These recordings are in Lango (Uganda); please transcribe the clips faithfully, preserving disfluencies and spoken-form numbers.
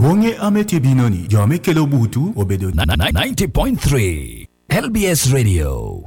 Wonge ame tye bino ni, jo ame kelo butu obedo Na- na- ninety point three L B S Radio.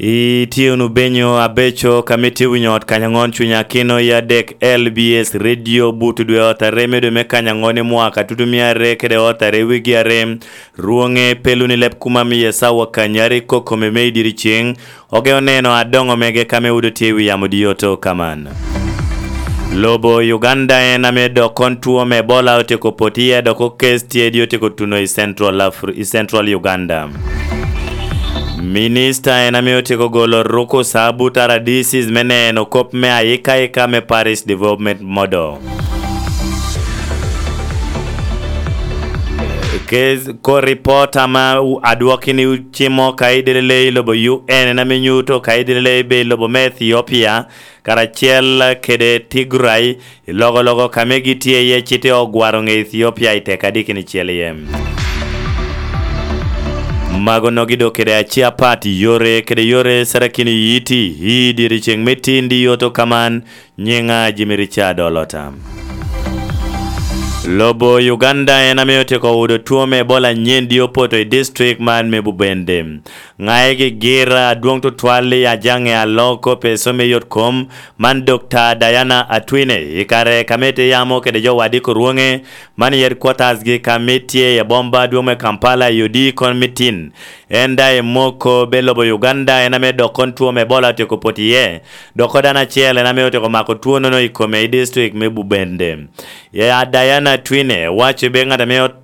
Itye wunu benyo abeco ka mitye winyo ot kany aŋon cuny akino i adek L B S Radio buto dwe ot are me dwe me kany aŋon i mwaka tutumia are kede ot are wigi are. Rwoŋe peluni leb kuma miye sawa kanyari kokome me i diri ceŋ. Oge oneno adoŋo mege kame udo tye i wi yamo dioto kaman. Lobo Uganda en ame dok kon tuo me Ebola otyeko pot iye dok okes tye di otyeko tuno i Central Afri- i Central Uganda. Minista en ame otyeko golo rukusa but R D Cs me neno kop me ayikaika me Parish Development Model. Kes ko ripot ama adwokki ni cimo ka idelele i lobo U N en ame nyuto ka idelele i lobo me Ethiopia karacel kede Tigray i logologo kame gitye iye cite ogwaro ŋe Ethiopia i teka dikini cel iye. Mago nogi dok kede aci apat yore kede yore sarakini yiti i diri ceŋ me tin di yoto kaman nyiŋa Jimmy Richard Olota. Lobo Uganda en ame otyeko wudo tuo me Ebola nyen di opoto i district man me Bubende. Ŋae gi gira adwoŋ tutwal i ajaŋe aloko peso me yot kom man Dokta Diana Atwine i kare ka mete yamo kede jo wadiko rwoŋe man i headquarters gi ka mitye i abomba adwoŋ me Kampala i odi kon mitin. En daŋ emoko be lobo Uganda en ame dok kon tuo me Ebola otyeko pot iye. Dok dano acel en ame otyeko mako tuo nono i kome i district me Bubende. Ya Diana Twine waco be ŋat ame ot-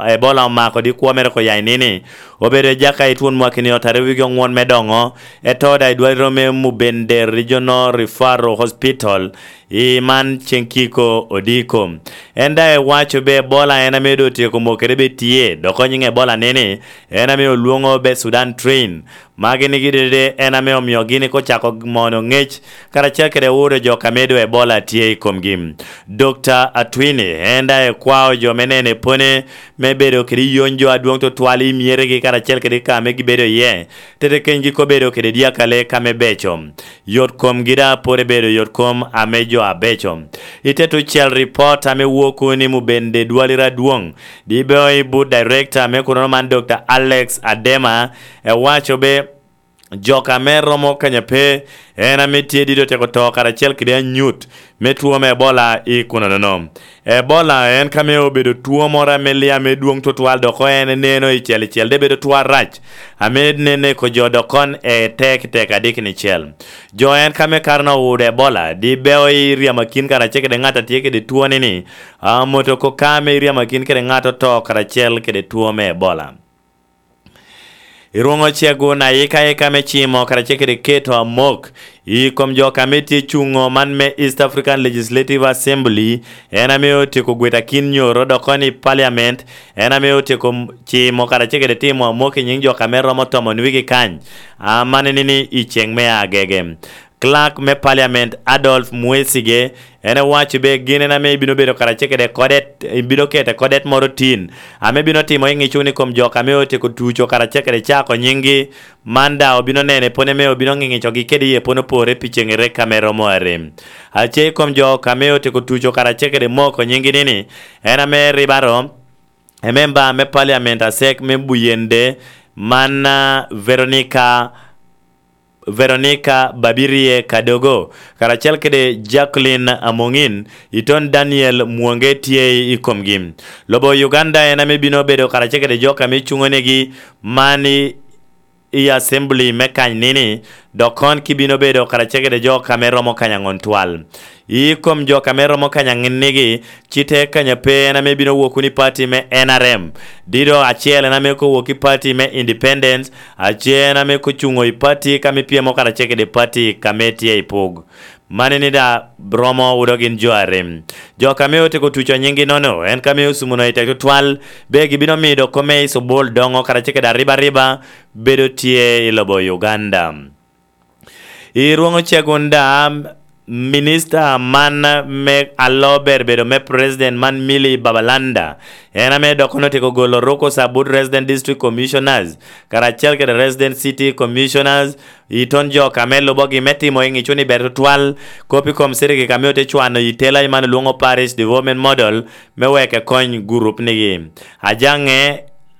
Ebola omako di kwo mere ko ya inini obedo i Jaka i twon mwakini otare wigi oŋwon me doŋo. Eto da i dwaliro me Mubende Regional Referral Hospital i man ceŋ kiko odiko. En da ewaco be Ebola en ame do tyeko mokere be tye dok onyiŋ Ebola nini en ame olwoŋo be Sudan Train. Magi nigi dede en ame omio gini kocako mono ŋec karacel kede uro jo ka medo Ebola tye i komgi. Dokta Atwini en daŋ ekwao jo me nene pone me bedo kede yony jo adwoŋ tutwal i myeregi karacel kede ka ame gibedo iye. Tete kenygi kobedo kede dyakale ka me beco. Yot komgi daŋ pwod ebedo yot kom ame jo abeco. I te tucel ripot ame woko ni Mubende Dwalira Adwoŋ, di beo i but director me kunono man Dokta Alex Adema, ewaco be Jok ame romo kanya pe en ame tye dito teko to karacel kede anyut me tuo me Ebola i kuno nono. Ebola en kame obedo tuo moro ame lia me dwong tutwal dok en neno i cel i cel de bedo tuo arac ame nene ko jo dok kon e tek tek adik ni cel. Jo en kame karno owudo Ebola di beo i ryamakin karacel kede ŋat a tye kede tuo ni ni amoto ko kame i ryamakin kede ŋat oto karacel kede tuo me Ebola. Irwoŋo cego na ika ika me cimo karacel kede keto amok i kom jo ka me tye cuŋo man me East African Legislative Assembly, en ame otyeko gweta kin nyoro dok kono i Parliament, en ame otyeko cimo karacel kede timo amok i nyiŋ jo ka me romo tomon wigi kany, amanini ni i ceŋ me agege. Clerk me Parliament Adolf Mwesige en owaco be gin en ame ibino bedo karacel kede kodet, ibino kete kodet moro tin ame bino timo i ŋic wunu i kom jok ame otyeko tuco karacel kede cako nyiŋgi. Man daŋ obino nene pwony ame obino ŋiŋicogi kede iye pwony opore pi ceŋere ka me romo arem. Ace i kom jok ame otyeko tuco karacel kede moko nyiŋgi nini en ame ribaro ememba me Parliament Asek me Buyende, man Veronica Veronica Babirie Kadogo karacel kede Jacqueline Amongin, iton Daniel Mwonge tye i komgi. Lobo Uganda en ame bino bedo karacel kede jo ka me cuŋonegi man i assembly me kany nini, dok kon ki bino bedo karacel kede jo ka me romo kany aŋon twal. I kom jo ka me romo kany aŋennigi, cite kanya pe en ame bino wok wunu i pati me N R M. Dido acel en ame kowok i pati me Independence, ace en ame kocuŋo i pati ka me pyemo karacel kede pati ka me tye i pug. Mani ni da romo wudo gin jo arem. Jo ka me oteko tuco nyiŋgi nono, en ka me osumuno i tek tutwal, be gibino mido kome i cobol doŋo karacel kede ariba ariba bedo tye i lobo Uganda. I rwoŋo cegun da, Minista man me alo ber bedo me President man, Milly Babalanda, en ame dok kono otyeko golo rukusa but Resident District Commissioners karacel kede Resident City Commissioners i ton jo ka me lubogi me timo i ŋic ni ber tutwal kop i kom cirikik ame ote cwano i tela i man olwoŋo Parish Development Model me wek ekony gurup nigi. Ajaŋe,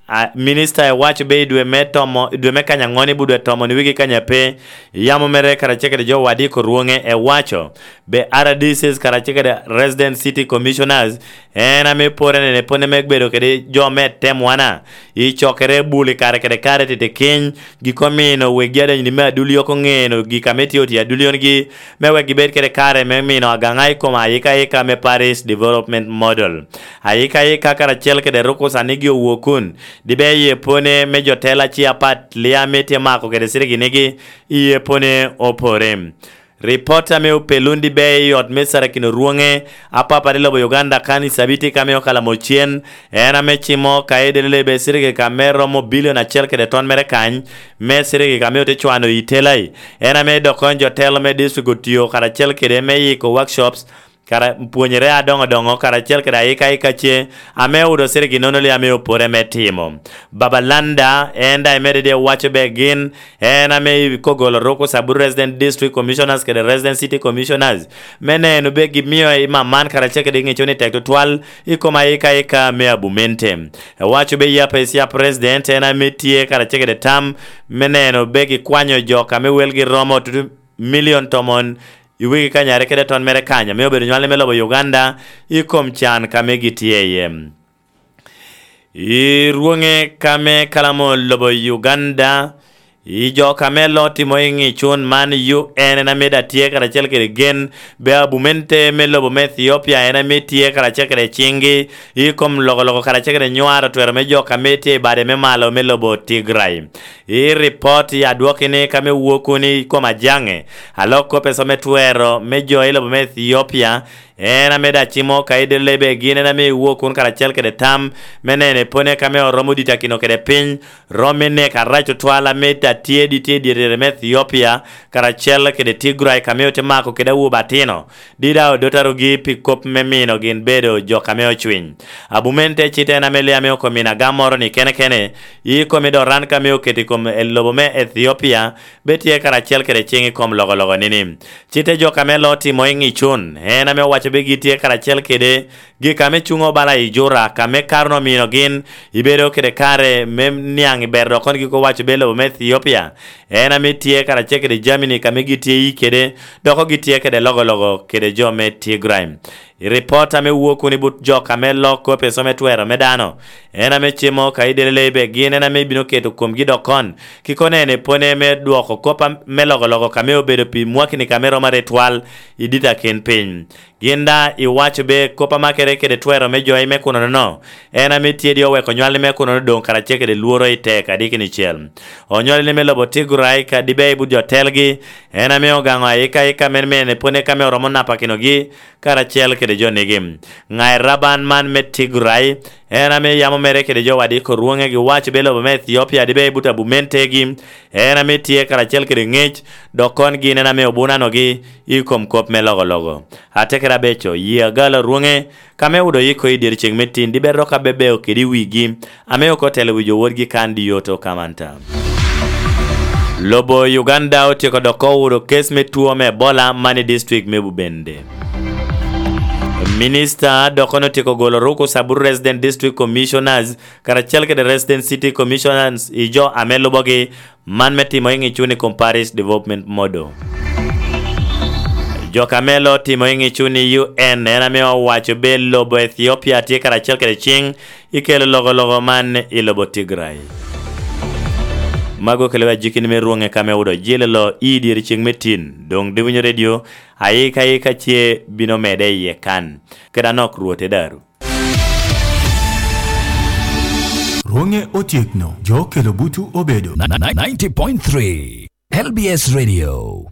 a, minista ewaco be i dwe me tomo, i dwe me kanya ŋoni budwe tomo ni wigi kanya pe, yamo mere karacel kede jo wadiko rwoŋe ewaco be R D Cs karacel kede Resident City Commissioners en ame pore nene pone me bedo kede jo me temwana i cokere bul i kare kede kare titi kiny, giko mino wegi adonyo ni me aduli oko ŋeno gik ame tye otye aduli ongi, me wek gibed kede kare me mino agaŋa i kom ayika ayika me Parish Development Model. Ayika ayika karacel kede rukusa nigi owokun, dibe iye pone me jo tela ci apat lia me tye mako kede siriginigi, iye pone opore. Ripot ame opelun dibe i ot me Sarakino Rwoŋe, apapa i lobo Uganda kan i cabiti ka me okalamo cen, en ame cimo ka edele lebe cirikik ame romo bilion acel kede ton mere kany, me cirikik ame ote cwano i telai, en ame dok kono jo telo me district otio karacel kede me yiko workshops, kara, pwonyere adoŋo doŋo karacel kede ayika ayika ce, ame odo cirikik nono li ame opore me timo. Babalanda, en daŋ emedde de waco be gin, en ame i kogolo ruku sabut Resident District Commissioners kede Resident City Commissioners, me neno be gimio i maman karacel kede ŋeco ni tek tutwal i kom ayika ayika me abumente. Ewaco be yap esia President en ame tye karacel kede tam me neno be gikwanyo jo ka me welgi romo tutu milion tomon i wigi kanyare kede ton mere kanya, me obedo nywalli me lobo Uganda i kom can ka me gitye iye. I rwoŋe ka me kalamo lobo Uganda, i jo ka me lo timo i ŋicun man U N en ame da tye karacel kede gen, be abumente me lobo me Ethiopia en ame tye karacel kede ciŋgi i kom lokoloko karacel kede nywaro twero me jo ka me tye i bade me malo me lobo Tigray. I ripot i adwoki ni ka me wokuni i kom ajaŋe, alok kop eco me twero me jo i lobo me Ethiopia, en ame da cimo ka idele be gin en ame iwok kun karacel kede tam me nene pone ka me oromo dita kino kede piny, rom me nek arac otwal ame da tye di tye i dyerere me Ethiopia, karacel kede Tigray ka me ote mako kede awobe atino, di da odotarogi pi kop me mino gin bedo jo ka me ocwiny. Abumen te cite en ame lia me okomina gam moro ni kene kene, i kom i doran ka me oketo i kom e lobo me Ethiopia, be tye karacel kede ciŋ i kom lokoloko nini. Cite jo ka me lo timo i ŋicun, en ame owaco be gitye karacel kede gik ame cuŋo bala i Jura, ka me Karno omino gin, ibedo kede kare me niaŋ i ber dok kono giko waco be lobo me Ethiopia, en ame tye karacel kede Germany ka me gitye i kede, dok gitye kede lokoloko kede jo me Tigray. I ripot ame wuo kun i but jo ka me lok kop i some twero me dano, en ame cimo ka idele lebe gin en ame bino keto komgi dok kon, kikone en epone me dwoko kop am-, me lokoloko ka me obedo pi mwakini ka me romo are twal i dita ken piny. Gin da iwaco be kop amakere kede twero me jo i me kuno nono, en ame tye di oweko nywalli me kuno doŋ karacel kede lworo i tek adiki ni cel. Onywalli me lobo Tigray ka dibe i but jo telgi, en ame ogaŋo ayika ayika men men epone ka me oromo napakinogi, karacel kede jo nigi. Ŋai Raban man me Tigray, en ame yamo mere kede jo wadiko rwoŋe giwaco be lobo me Ethiopia dibe i but abumentegi, en ame tye karacel kede ŋec, dok kon gin en ame obunanogi i kom kop me lokoloko. Atekere abeco, yie agalo rwoŋe, ka me wudo yiko i dyerceng me tin, dibe rok abebeo kede wigi, ame oko telo wi jo wodgi kan di yoto kamanta. Lobo Uganda otyeko dok owuro kes me tuo me Ebola man i district me Bubende. Minista dok kono otyeko golo ruku sabut Resident District Commissioners karacel kede Resident City Commissioners i jo ame lubogi, man me timo i ŋicuni kom Parish Development Model. Jo ka me lo timo i ŋicuni U N en ame owaco be lobo Ethiopia tye karacel kede ciŋ i kelo lokoloko man i lobo Tigray. Mago kelo ajikini me rwoŋe ka me wudo jilelo i dyere ceng me tin. Doŋ diwinyo redio, ayika ayika ce bino mede iye kan. Kede anok Rwot e daru. Rwoŋe otyekno, jo okelo butu obedo. Ninety point three L B S Radio.